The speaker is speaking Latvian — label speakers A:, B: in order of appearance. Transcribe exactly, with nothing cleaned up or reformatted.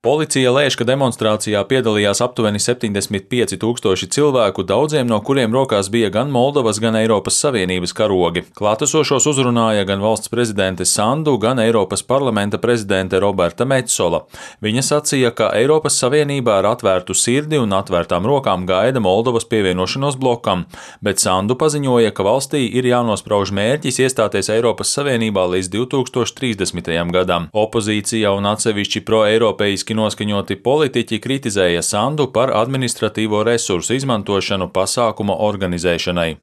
A: Policija lēš, ka demonstrācijā piedalījās aptuveni septiņdesmit pieci tūkstoši cilvēku, daudziem no kuriem rokās bija gan Moldovas, gan Eiropas Savienības karogi. Klātesošos uzrunāja gan valsts prezidente Sandu, gan Eiropas parlamenta prezidente Roberta Metsola. Viņa sacīja, ka Eiropas Savienībā ar atvērtu sirdi un atvērtām rokām gaida Moldovas pievienošanos blokam, bet Sandu paziņoja, ka valstī ir jānosprauž mērķis iestāties Eiropas Savienībā līdz divi tūkstoši trīsdesmitajam gadam. Opozīcija un atsevišķi pro-eiropeiski noskaņoti politiķi kritizēja Sandu par administratīvo resursu izmantošanu pasākuma organizēšanai.